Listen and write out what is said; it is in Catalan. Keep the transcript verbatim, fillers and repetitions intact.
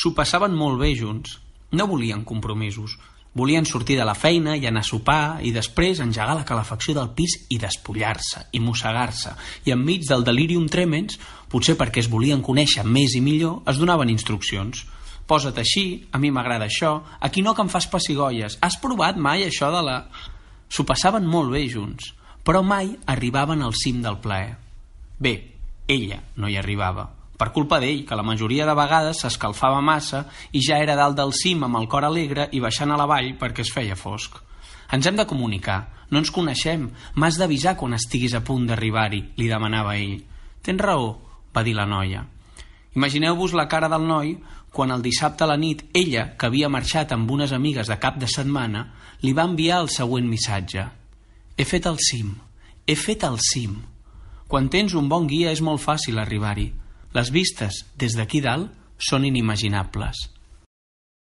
S'ho passaven molt bé junts. No volien compromisos. Volien sortir de la feina i anar a sopar i després engegar la calefacció del pis i despullar-se i mossegar-se. I enmig del delirium tremens, potser perquè es volien conèixer més i millor, es donaven instruccions. Posa't així, a mi m'agrada això, aquí no que em fas pessigolles. Has provat mai això de la... S'ho passaven molt bé junts, però mai arribaven al cim del plaer. Bé, ella no hi arribava. Per culpa d'ell, que la majoria de vegades s'escalfava massa i ja era dalt del cim amb el cor alegre i baixant a la vall perquè es feia fosc. Ens hem de comunicar, no ens coneixem, m'has d'avisar quan estiguis a punt d'arribar-hi, li demanava ell. Tens raó, va dir la noia. Imagineu-vos la cara del noi quan el dissabte a la nit ella, que havia marxat amb unes amigues de cap de setmana, li va enviar el següent missatge. He fet el cim, he fet el cim. Quan tens un bon guia és molt fàcil arribar-hi. Les vistes des d'aquí dalt són inimaginables.